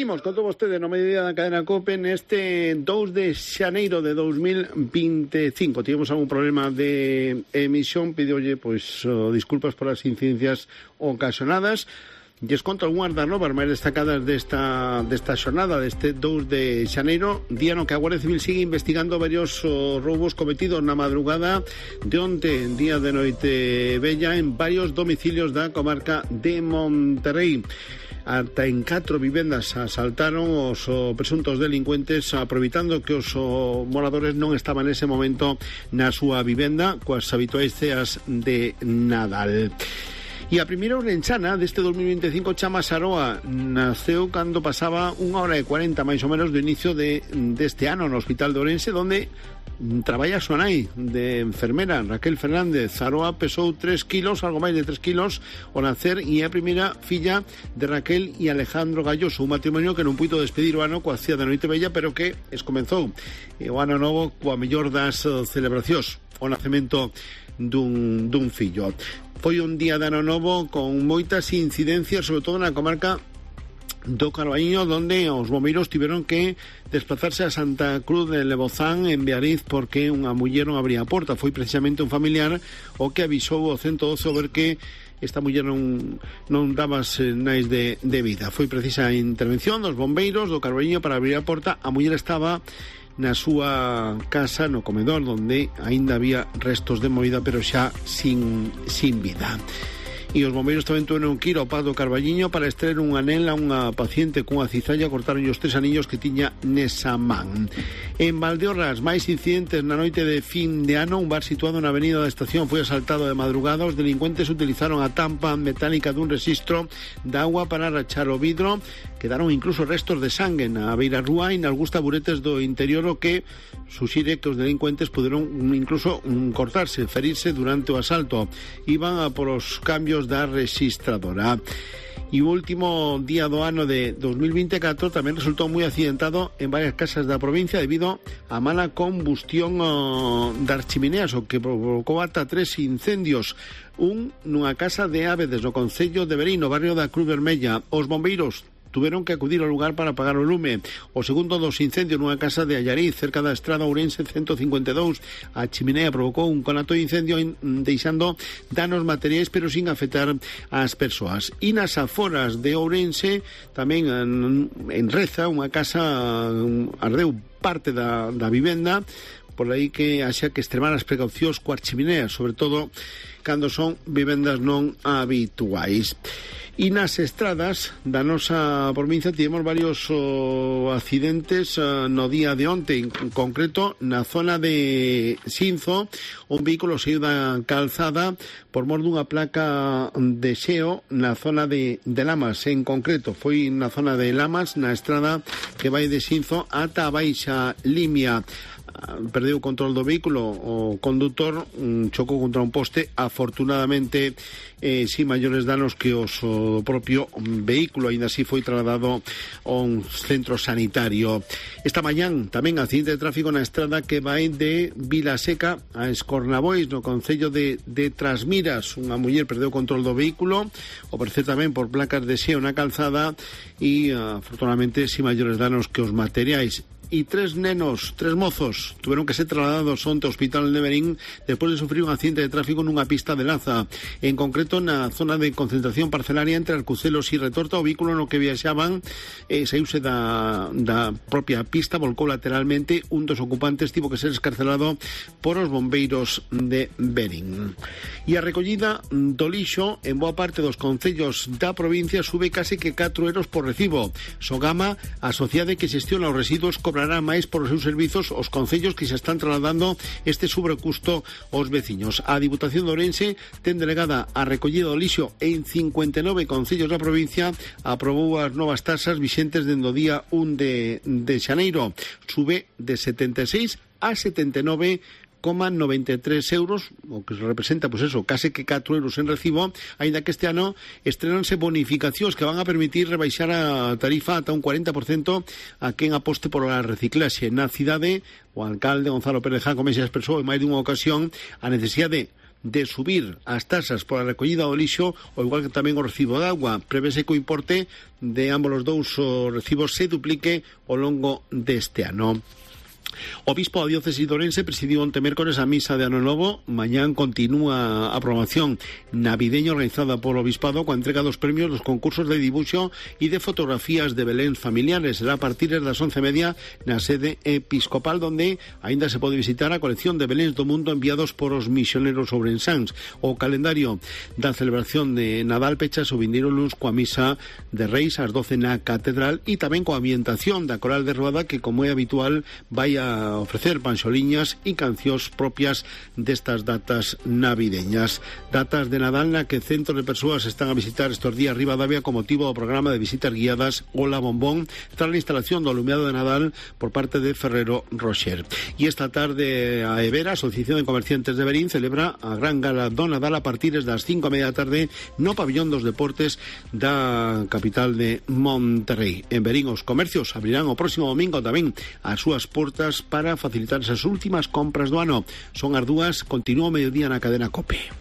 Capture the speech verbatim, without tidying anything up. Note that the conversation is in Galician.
Seguimos con todos ustedes no mediodía da cadena COPE neste dous de xaneiro de dos mil veinticinco. Tivemos algún problema de emisión, pidiolle pois oh, disculpas por as incidencias ocasionadas. Lles conto algunhas das novas máis destacadas desta, desta xornada, deste dous de xaneiro, día no que a Guardia Civil sigue investigando varios oh, roubos cometidos na madrugada de onte, día de noite bella, en varios domicilios da comarca de Monterrey. Ata en catro vivendas asaltaron os oh, presuntos delincuentes, aproveitando que os oh, moradores non estaban nese momento na súa vivenda coas habituais ceas de Nadal. E a primeira ourensana deste dos mil veinticinco, Chama Saroa, naceu cando pasaba unha hora e cuarenta máis ou menos do inicio de, deste ano no Hospital de Ourense, donde traballa a súa nai de enfermera, Raquel Fernández. Saroa pesou tres kilos, algo máis de tres kilos ao nacer, e é a primeira filla de Raquel e Alejandro Galloso, un matrimonio que non puido despedir o ano coa cía da noite bella, pero que escomenzou o ano novo coa mellor das celebracións, o nacemento dun, dun fillo. Foi un día de ano novo con moitas incidencias, sobre todo na comarca do Carballiño, donde os bombeiros tiveron que desplazarse a Santa Cruz de Lebozán, en Beariz, porque unha muller non abría a porta. Foi precisamente un familiar o que avisou ao ciento doce a ver que esta muller non, non daba sinais de, de vida. Foi precisa a intervención dos bombeiros do Carballiño para abrir a porta. A muller estaba na súa casa, no comedor, onde aínda había restos de movida, pero xa sin, sin vida. E os bombeiros tamén tuveron que ir ao Paz do Carballiño para extraer un anel a unha paciente cunha cizalla. Cortaron os tres anillos que tiña nesa man. En Valdeorras, máis incidentes na noite de fin de ano. Un bar situado na avenida da Estación foi asaltado de madrugada. Os delincuentes utilizaron a tampa metálica dun rexistro de agua para rachar o vidro. Quedaron incluso restos de sangue na beira rúa e nalgúns taburetes do interior, o que suxire que os delincuentes puderon incluso cortarse, ferirse durante o asalto. Iban a por os cambios da registradora. E o último día do ano de dos mil veinticuatro tamén resultou moi accidentado en varias casas da provincia debido a mala combustión oh, das chimineas, o que provocou ata tres incendios. Un nunha casa de Ábedes, no concello de Verín, no barrio da Cruz Vermella. Os bombeiros tuveron que acudir ao lugar para apagar o lume. O segundo dos incendios nunha casa de Allariz, cerca da estrada Ourense ciento cincuenta e dous. A chimenea provocou un conato de incendio deixando danos materiais, pero sin afectar ás persoas. E nas aforas de Ourense, tamén en, en Reza, unha casa ardeu parte da, da vivenda, por aí que haxa que extremar as precaucións coas chimineas, sobre todo cando son vivendas non habituais. E nas estradas da nosa provincia tivemos varios oh, accidentes oh, no día de onte. En concreto, na zona de Sinzo, un vehículo saiu da calzada por mor dunha placa de xeo na zona de, de Lamas. En concreto, foi na zona de Lamas, na estrada que vai de Sinzo ata a Baixa Limia. Perdeu o control do vehículo, o condutor um, chocou contra un poste, afortunadamente eh, sin maiores danos que os o propio vehículo. Ainda así foi trasladado a un centro sanitario. Esta mañán tamén accidente de tráfico na estrada que vai de Vilaseca a Escornabois, no concello de, de Trasmiras. Unha muller perdeu o control do vehículo, o parecer tamén por placas de xeo na calzada, e afortunadamente sin maiores danos que os materiais. E tres nenos, tres mozos, tuveron que ser trasladados onte ao Hospital de Verín despois de sufrir un accidente de tráfico nunha pista de Laza. En concreto, na zona de concentración parcelaria entre Arcucelos e Retorta, o vehículo no que viaxaban eh, saiuse da, da propia pista, volcou lateralmente. Un dos ocupantes tivo que ser escarcelado por os bombeiros de Verín. E a recollida do lixo en boa parte dos concellos da provincia sube case que catro euros por recibo. Sogama, a sociedade que xestiona os residuos, cobra máis por os seus servizos os concellos que se están trasladando este sobrecusto aos veciños. A Diputación de Ourense ten delegada a recollida do lixo en cincuenta e nove concellos da provincia. Aprobou as novas tasas vixentes dende o día un de, de xaneiro. Sube de setenta e seis a setenta e nove coma noventa e tres euros, o que representa, pois pues eso, case que catro euros en recibo, aínda que este ano estrenanse bonificacións que van a permitir rebaixar a tarifa ata un cuarenta por cento a quen aposte por a reciclaxe. Na cidade, o alcalde Gonzalo Pérez Jacome xa expresou en máis dunha ocasión a necesidade de subir as tasas pola recollida do lixo, ou igual que tamén o recibo de agua. Prevese que o importe de ambos os dous recibos se duplique ao longo deste ano. O bispo da diócesis de Ourense presidiu onte mércores a misa de Ano Novo. Mañán continúa a programación navideña organizada polo Obispado coa entrega dos premios dos concursos de dibuixo e de fotografías de beléns familiares. Será a partir das once e media na sede episcopal, donde aínda se pode visitar a colección de beléns do mundo enviados por os misioneros ourensáns. O calendario da celebración de Nadal pechas o vindeiro luns coa misa de Reis ás doce na catedral e tamén coa ambientación da Coral de Ruada, que, como é habitual, vai a ofrecer panxoliñas e cancións propias destas datas navideñas. Datas de Nadal na que centros de persoas están a visitar estes días Ribadavia con motivo do programa de visitas guiadas Ola Bombón, tras a instalación do alumeado de Nadal por parte de Ferrero Rocher. E esta tarde a Evera, a Asociación de Comerciantes de Verín, celebra a gran gala do Nadal a partir das cinco e media da tarde no pabillón dos deportes da capital de Monterrey. En Verín os comercios abrirán o próximo domingo tamén as súas portas para facilitar as últimas compras do ano. Son as dúas, continúa o mediodía na cadena COPE.